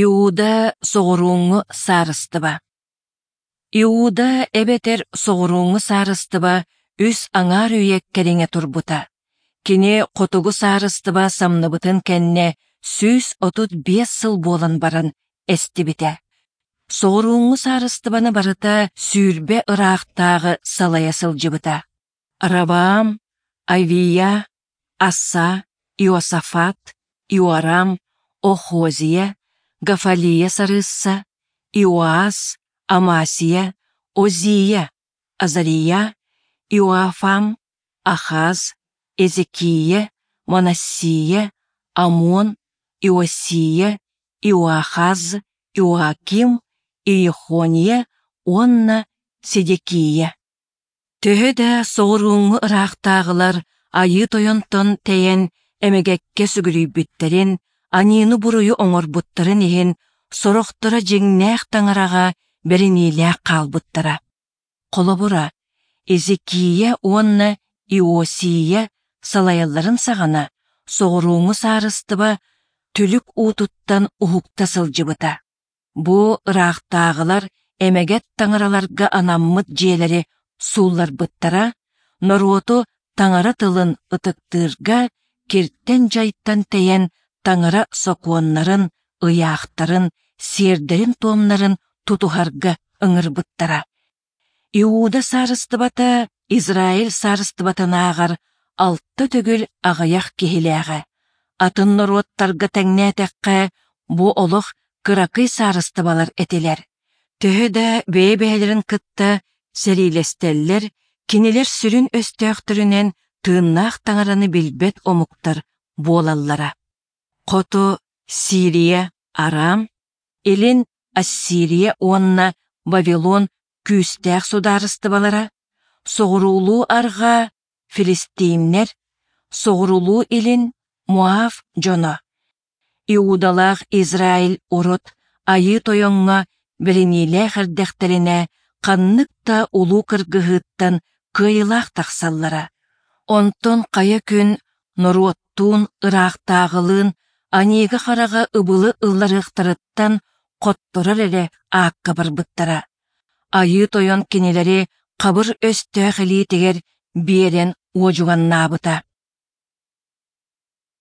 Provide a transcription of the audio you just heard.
Иуда соҕурууҥҥу саарыстыба Иуда эбэтэр соҕурууҥҥу саарыстыба үс аҥаар үйэ кэриҥэ турбута. Кини хотугу саарыстыба самныбытын кэннэ 135 сыл буолан баран эстибитэ. Соҕурууҥҥу саарыстыбаны барыта 20 ыраахтааҕы салайа сылдьыбыта. Раваам, Авия, Аса, Иосафат, Иорам, Охозия, Гафалия сарыысса, Иоас, Амасия, Озия, Азария, Иоафам, Ахаз, Езекия, Манассия, Амон, Иосия, Иоахаз, Иоаким, Иехония уонна Седекия. Төһө да соҕурууҥҥу ыраахтааҕылар Айыы Тойонтон тэйэн эмэгэккэ сүгүрүйбүттэрин, аньыыны-буруйу оҥорбуттарын иһин сорохторо дьиҥнээх таҥараҕа бэриниилээх хаалбыттара. Холобура, Езекия уонна Иосия салайалларын саҕана соҕурууҥҥу саарыстыба түлүк уутуттан уһукта сылдьыбыта. Бу ыраахтааҕылар эмэгэт таҥараларга анаммыт дьиэлэри суулларбыттара, норуоту таҥара тылын ытыктыырга киртэн-дьайтан тэйэн таҥара сокуоннарын, ыйаахтарын, сиэрдэрин-туомнарын тутуһарга ыҥырбыттара. Иуда саарыстыбата Израиль саарыстыбатынааҕар алта төгүл аҕыйах киһилээҕэ. Атын норуоттарга тэҥнээтэххэ, бу олох кыракый саарыстыбалар этилэр. Төһө да бэйэ-бэйэлэрин кытта сэриилэстэллэр, кинилэр сүрүн өстөөхтөрүнэн тыыннаах таҥараны билбэт омуктар буолаллара. Хоту Сирия, Арам, Илин Ассирия уонна Вавилон күүстээх судаарыстыбалара, соҕуруулуу-арҕаа филистиимнэр, соҕуруулуу-илин Моав дьоно. Иудалаах Израиль урут Айыы Тойоҥҥо бэриниилээх эрдэхтэринэ ханнык да улуу кыргыһыыттан кыайыылаах тахсаллара. Онтон хайа күн норуоттуун, ыраахтааҕылыын аньыыга-хараҕа ыбылы ылларыахтарыттан хотторор эрэ аакка барбыттара. Айыы Тойон кинилэри хабыр өстөөх илиитигэр биэрэн уодьуганнаабыта.